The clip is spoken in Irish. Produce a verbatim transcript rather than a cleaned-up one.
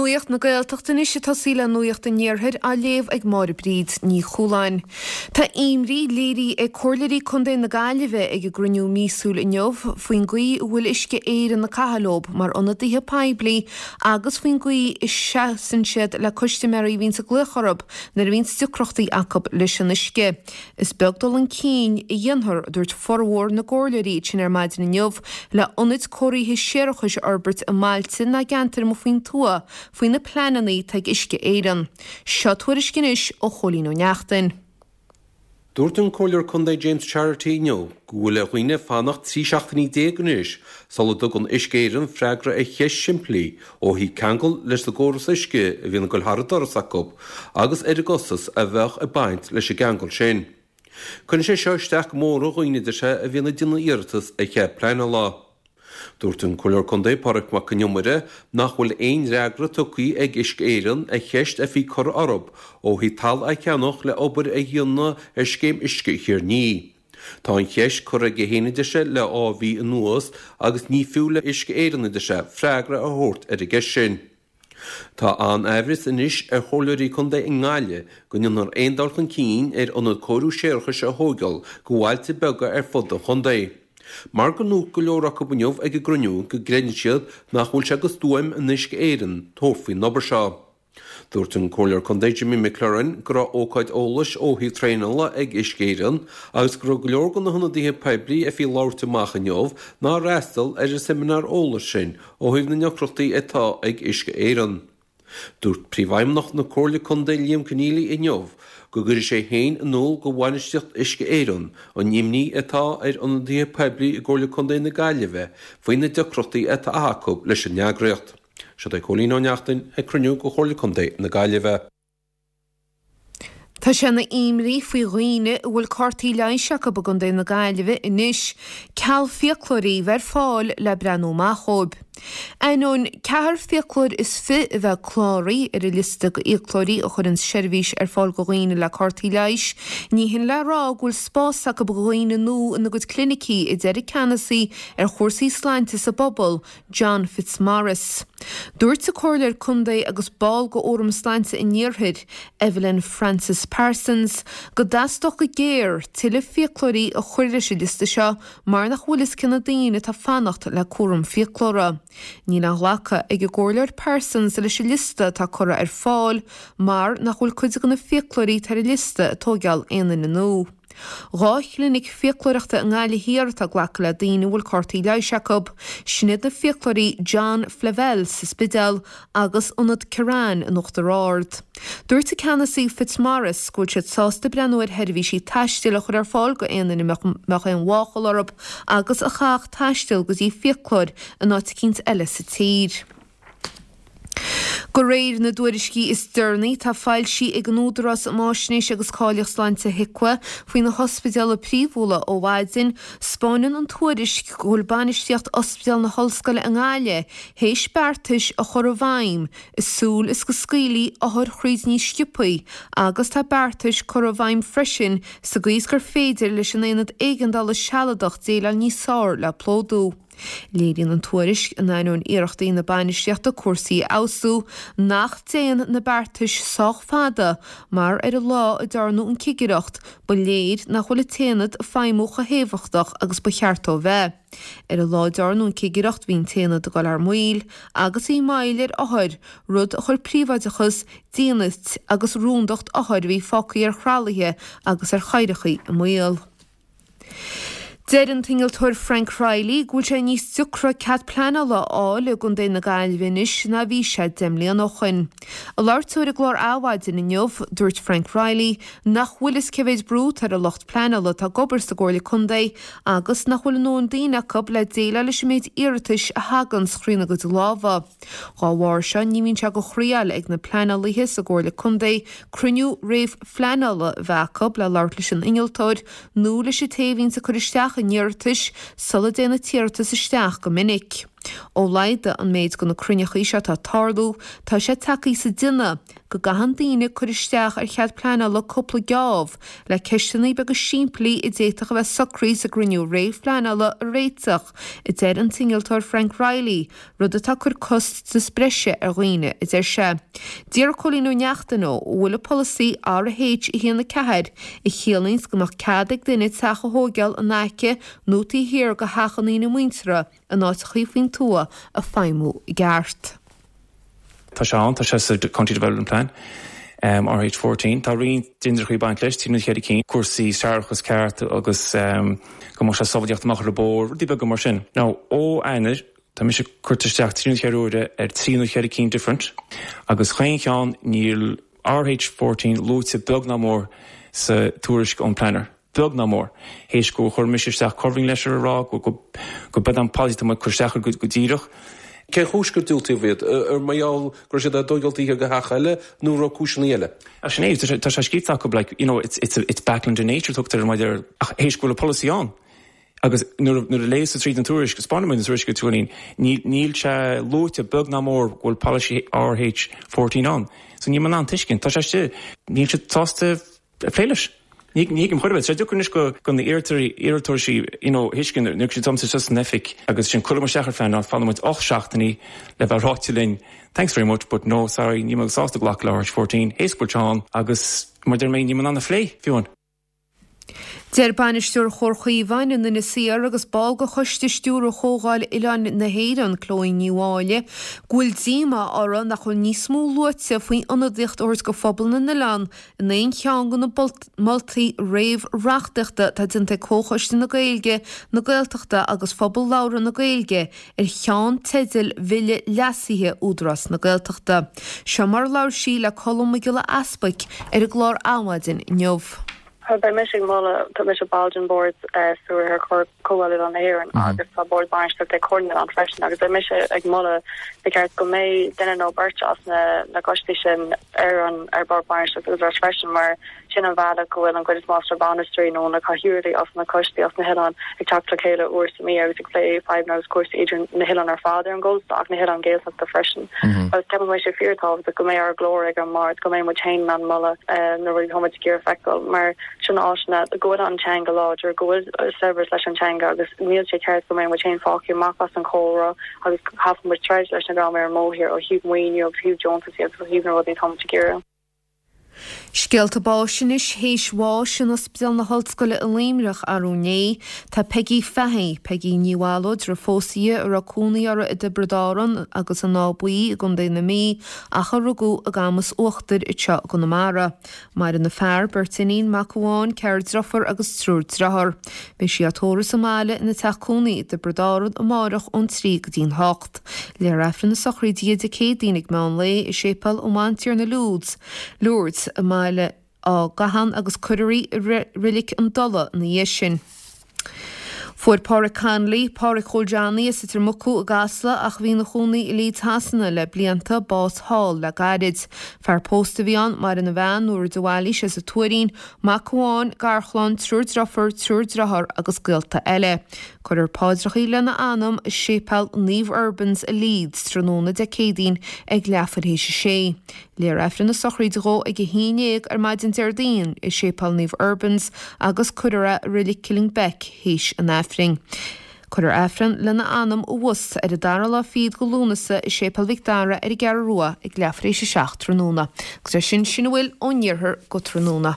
Nuacht na Gaeltachta anois ag tosaí le Nuacht an Iarthair á léamh ag Máire Bríd Ní Chualáin. Tá imní léirithe ag Comhairleoirí Contae na Gaillimhe ag a gcruinniú míosúil inniu faoin gcaoi a bhfuil Uisce Éireann ag caitheamh leo mar ionadaithe poiblí agus faoin gcaoi a seasann siad le custaiméirí a bhíonns ag glaoch orthu nuair a bhíonns deacrachtaí acu leis an uisce. Is beag dul chun cinn a dhéanfar, a dúirt formhór na gcomhairleoirí sin ar maidin inniu, le hionaid cóirithe séarachais a fhorbairt i mbailte ná gceantair amuigh faoin tuath faoi na pleananna atá ag Uisce Éireann. Seo tuairisc anois ó Chóilín Ó Neachtain. Dúirt an Comhairleoir Contae James Charity inniu go bhfuil ar dhaoine fanacht trí seachtainí déag anois sula dtugann Uisce Éireann freagra ar cheist simplí ó thaobh ceangal leis an gcóras uisce a bhíonn ag dul thar an doras acu agus ar an gcostas a bheadh ag baint leis an gceangal sin. Cuireann sé seo isteach go mór ar dhaoine a deir sé a bhíonn ag déanamh iarratas ar chead pleanála. Dúirt an Comhairleoir Contae Pádraig Mac Con Iomaire nach bhfuil aon fhreagra tugtha ag Uisce Éireann ar cheist a bhí curtha orthu ó thaobh talamh a cheannach le obair a dhéanamh ar scéim uisce Thír an Fhia. Tá an cheist curtha aige féin a deir sé le dhá mhí anuas agus ní fiú le Uisce Éireann a deir sé freagra a thabhairt ar an gceist sin. Tá an-aimhreas anois ar chomhairleoirí contae i nGaillimh go ndéanfar aon dul chun cinn ar ionad cóiriú séarachais a thógáil go bhailte beaga ar fud an chontae. Mar go ndúirt go leor acu inniu ag an gcruinniú go gcreideann siad nach bhfuil sé go stuaim in Uisce Éireann tabhairt faoin obair seo. Dúirt an Comhairleoir Contae Jimmy McLaurin go raibh ócáid eolais ó thaobh traenála ag Uisce Éireann agus go raibh go leor de na hionadaithe poiblí a bhí ag labhairt amach inniu nár fhreastail ar an seimineár eolais sin ó thaobh na ndeacrachtaí atá ag Uisce Éireann. Dúirt Príomhfheidhmeannach na Comhairle Contae Liam Conneely inniu go gcuirfidh sé féin in iúl go bhainistíocht Uisce Éireann an imní atá ar ionadaithe poiblí i gComhairle Contae na Gaillimhe faoi na deacrachtaí atá acu leis an eagraíocht. Seo é Cóilín Ó Neachtain ag cruinniú go Chomhairle Contae na Gaillimhe. Tá sé ina imní faoi dhaoine a bhfuil cártaí leighis acu i gContae na Gaillimhe anois ceal fiaclóirí bheith ar fáil le breathnú amach dhóibh. Ainneoin ceathair fiaclóir is fiche a bheith cláraithe ar an liosta de fhiaclóirí a chuireann seirbhís ar fáil do dhaoine le cártaí leighis, ní hin le rá go bhfuil spás acu do dhaoine nua ina gcuid clinicí, a deir an ceannasaí ar chúrsaí sláinte sa bpobal, John Fitzmaurice. Dúirt an Comhairleoir Contae agus ball de Fhóram Sláinte an Iarthair, Evelyn Francis Parsons, go dteastódh go géar tuilleadh fiaclóirí a chur leis an liosta seo mar nach bhfuil fhios cé na daoine atá ag fanacht le cúram fiaclóra. Níl aon ghlacadh ag an gComhairleoir Parsons leis an liosta atá curtha ar fáil mar nach bhfuil cuid de na fiaclóirí atá ar an liosta ag tóigeáil aon duine nua. Dhá chlinic fiaclóireachta i nGaillimh Thiar atá ag glacadh le daoine a bhfuil cártaí leighis acu, sin iad na fiaclóirí John Flavell sa Spidéal agus Ionad Ciaráin in Uachtar Ard. Dúirt an ceannasaí Fitzmaurice go bhfuil siad sásta breathnú ar sheirbhísí taistil a chur ar fáil go aon duine a mbeadh aon mháchail orthu agus a chaithfeadh taisteal go dtí fiaclóir in áit eicínt eile sa tír. De réir na dtuairiscí is deireanaí atá foilsithe ag an Údarás um Fháisnéis agus Cáilíocht Sláinte HIQA faoi na hospidéala príomhúla ó mhaidin, 'spáineann an tuairisc go bhfuil bainistíocht Ospidéal na hOllscoile i nGaillimh théis beartais a chur i bhfeidhm i súil is go scaoilfí othair thríd níos sciobthaí agus tá beartais curtha i bhfeidhm freisin sa gcaoi is gur féidir leis an Aonad Éigeandála Sealadach déileáil níos fearr le plódú. Léiríonn an tuairisc, in ainneoin iarrachtaí na bainistíochta cúrsaí a fheabhsú, nach dtéann na beartais sách fada mar ar an lá a dearnadh an cigireacht, ba léir nach bhfuil an t-aonad ag feidhmiú chomh héifeachtach agus ba cheart dó bheith. Ar an lá a dearnadh an cigireacht bhí an t-aonad ag dul thar maoil agus bhí moill ar othair, rud a chuir príobháideachas, dínit agus rúndacht othair a bhí fágtha ar thralaithe agus ar chathaoireacha i mbaol. Deir an t-innealtóir Frank Reilly go bhfuil sé níos deacra cead pleanála a fháil i gContae na Gaillimhe anois ná bhí sé deich mbliana ó shoin. Ag labhairt dó ar an gclár Adhmhaidin inniu, dúirt Frank Reilly nach bhfuil fhios cé mhéid brú atá ar an lucht pleanála atá ag obair sa gComhairle Contae agus nach bhfuil a ndóthain daoine acu le déileáil leis an méid iarratais a thaganns thrína gcuid lámha. Dhá bharr seo, ní bhíonn sé de chroí ag na pleanálaithe sa gComhairle Contae cruinniú réamh-phleanála a bheith acu le labhairt leis an innealtóir nó leis an té a bhíonns ag cur isteach an iarratais sula dtéann an t-iarratas isteach go minic. Ó laghdaigh an méid de na cruinneachaí seo atá ag tarlú, tá sé tagtha sa déanamh go gcaitheann daoine cur isteach ar chead pleanála cúpla geábh le ceisteanna beaga simplí a d'fhéadfadh a bheith socraithe sa gcruinniú réamhphleanála a réiteach, a deir an t-innealtóir Frank Reilly, rud atá ag cur costas breise ar dhaoine, a deir sé. D'iarr Cóilín Ó Neachtain dó an bhfuil an polasaí RH a haon a ceathair, a chiallaíonns go mbeadh cead ag duine teach a thóigeáil in aice nó taobh thiar de theach an duine muinteartha in áiteachaí faoin tuath ag feidhmiú i gceart. Tá sé ann, tá sé sa County Development Plan. Um, RH fourteen. Tá roinnt dindrachaí baint leis, trí nó ceithre cinn, cúrsaí séarachas ceart agus um, go mbeadh sé sábháilte amach ar an bóthar, rudaí beaga mar sin. Now, ó Eanáir, tá mise curtha isteach trí nó ceithre huaire ar trí nó ceithre cinn different, agus chaon cheann níl RH fourteen luaite beag ná mór sa tuairisc ón planner. Beag ná mór. Théis gur chuir mise isteach covering letter a rá go go go b'é an policy tá muid cur isteach go go díreach. Cén chúis gur diúltaíodh iad? Ar mar gheall go raibh siad á dtógáil taobh thiar de theach eile nó raibh cúiseanna eile? Ach sin é, tá sé tá sé scríte acu like, you know, it's, it's, it's backland in nature tugtar mar ar ach théis go bhfuil an polasaí ann. Agus nuair nuair a léas tríd an tuairisc, spáin an tuairisc go tuairín, níl níl sé luaite beag ná mór go bhfuil policy RH fourteen ann. So níl mé in ann tuiscint, tá sé istigh, níl siad sásta plé leis. Ní ní thuigim chor ar bith. Sé deacair anois go go na iarrthóirí iarrthóirí you know thuiscint nuair siad domsa just san oifig agus sin cuirim isteach ar phleanáil fanann muid ocht seachtainí le bheith ráite linn thanks very much but no sorry níl mé sásta glacadh le RH fourteen théis go bhfuil sé ann agus mar deir mé níl mé in ann a phlé fiú amháin. Deir bainisteoir Chomhar Chaomháin in Inis Oírr agus ball de choiste stiúrtha Chomhdháil Oileáin na hÉireann, Chloe Ní Mháille, go bhfuil díomá orthu nach bhfuil níos mó luaite faoi ionadaíocht a thabhairt do phobal na n-oileán in aon cheann de na moltaí réamh-reachtaíochta atá déanta ag Comhchoiste na Gaeilge, na Gaeltachta agus Phobal Labhartha na Gaeilge ar cheannteidil Bhille Leasaithe Údarás na Gaeltachta. Seo mar a labhair sí le Colm Mac Giolla Easbuic ar an gclár Adhmhaidin inniu. Beidh mise ag moladh, tá mise ball den bord stiúrtha ar Chomhdháil Oileáin na hÉireann agus tá bord bainistíochta ag Comhar na nOileán freisin agus beidh mise ag moladh ba cheart go mbeidh duine nó beirt as na na coistí sin ar an ar bord bainistíochta Údarás freisin mar sin an bhealach go bhfuil an gcuid is mó de na bainisteoirí nó na cathaoirligh as na coistí as na hoileáin ag teacht le chéile uair sa mhí agus ag plé fadhbanna agus cúrsaí idir na hoileáin ar fad ar an gcósta ach na hoileáin Gaeltachta freisin. Agus ceapann mé sé fíorthábhachtach go mbeidh ár nglór ag an mbord, go mbeidh muid féin in ann moladh na rudaí atá muid ag iarraidh feiceáil mar sin áiteanna go bhfuil an teanga láidir, go bhfuil saibhreas leis an teanga agus níl sé ceart go mbeidh muid féin fágtha amach as an chomhrá agus caithfidh muid troid leis na dream ar an mbóthar ó thaobh maoiniú agus thaobh deontas agus ó thaobh na rudaí atá muid ag iarraidh. Scéalta báis anois théis bháis in Ospidéal na hOllscoile i Luimneach arú inné. Tá Peggy Fahey, Peggy Ní Mhalóid, raibh pósta a raibh cónaí uirthi i dTiobraid Árann agus in Áth Buí i gContae na Mí ach a rugadh i gCamas Uachtair anseo i gConamara. Maireann a fear, beirt iníon, mac amháin, ceathrar deirfiúr agus triúr dearthár. Beidh sí á tórramh sa mbaile ina teach cónaí i dTiobraid Árann amárach ón trí go dtí'n hocht. Léifear Aifreann na sochraide Dé Céadaoin ag meán lae i Séipéal an Bhantiarna Lourdes, Lourdes i mBaile Átha Gabhann agus cuirfear í i Reilig an Dola ina dhiaidh sin. Fuair Pádraig Connolly, Pádraig Chóil Johnny as Leitir Mucú i gCasla ach a bhí ina chónaí i Leeds Shasana le blianta, bás thall le gairid. Fear pósta a bhí ann, maireann a bhean, Nóra de Bhailís as an Tuairín, mac amháin, garchlann, triúr deirfiúr, triúr dearthár agus gaolta eile. Cuirfear paidreacha lena anam i Séipéal Naomh Urbans i Leeds tráthnóna Dé Céadaoin ag leathuair théis a sé. Léifear Aifreann na sochraide dhó ag a haon déag ar maidin Déardaoin i Séipéal Naomh Urbans agus cuirfear é i Reilig Killingbeck théis an Aifrinn. Cuirfear Aifreann lena anam abhus ar an dara lá fichead de Lúnasa i Séipéal Mhic Dara ar an gCeathrú Rua ag leathuair théis a seacht tráthnóna. Agus é sin sin a bhfuil ón iarthar go tráthnóna.